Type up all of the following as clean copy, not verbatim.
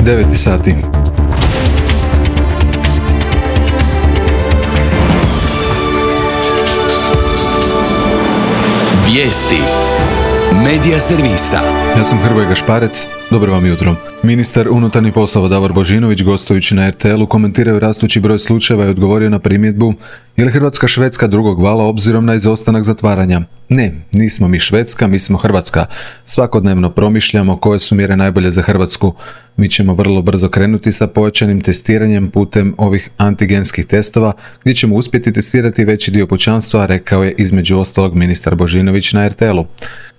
9 sati. Vijesti Medija servisa. Ja sam Hrvoje Gašparec, dobro vam jutro. Ministar unutarnjih poslova Davor Božinović, gostujući na RTL-u, komentirao rastući broj slučajeva i odgovorio na primjedbu: je li Hrvatska Švedska drugog vala obzirom na izostanak zatvaranja? Ne, nismo mi Švedska, mi smo Hrvatska. Svakodnevno promišljamo koje su mjere najbolje za Hrvatsku. Mi ćemo vrlo brzo krenuti sa pojačanim testiranjem putem ovih antigenskih testova, gdje ćemo uspjeti testirati veći dio pučanstva, rekao je između ostalog ministar Božinović na RTL-u.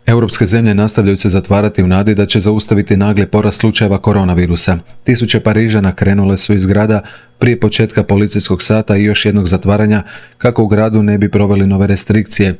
Europske zemlje nastavljaju se zatvarati u nadi da će zaustaviti nagli porast slučajeva koronavirusa. Tisuće Parižana krenule su iz grada prije početka policijskog sata i još jednog zatvaranja kako u gradu ne bi proveli nove restrikcije.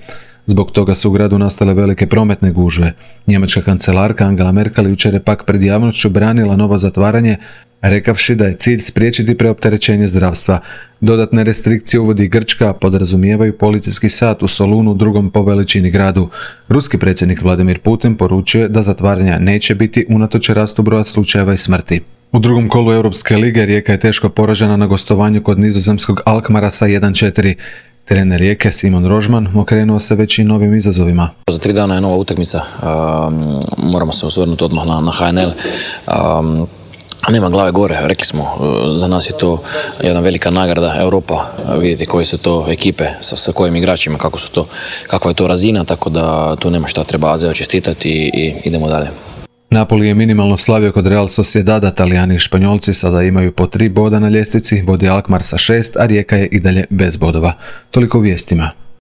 Zbog toga su u gradu nastale velike prometne gužve. Njemačka kancelarka Angela Merkel jučer je pak pred javnošću branila novo zatvaranje, rekavši da je cilj spriječiti preopterećenje zdravstva. Dodatne restrikcije uvodi Grčka, podrazumijevaju policijski sat u Solunu, drugom po veličini gradu. Ruski predsjednik Vladimir Putin poručuje da zatvaranja neće biti unatoč rastu broja slučajeva i smrti. U drugom kolu Europske lige Rijeka je teško poražena na gostovanju kod nizozemskog Alkmara sa 1:4. Trener Rijeke Simon Rožman okrenuo se već i novim izazovima. Za 3 dana je nova utakmica, moramo se osvrnuti odmah na HNL. Nema glave gore, rekli smo, za nas je to jedna velika nagrada Europa, vidjeti koje su to ekipe, sa kojim igračima, kakva je to razina, tako da tu nema šta, treba Azeo čestitati i idemo dalje. Napoli je minimalno slavio kod Real Sociedada, Talijani i Španjolci sada imaju po 3 boda na ljestvici, vodi Alkmaar sa 6, a Rijeka je i dalje bez bodova. Toliko u vijestima.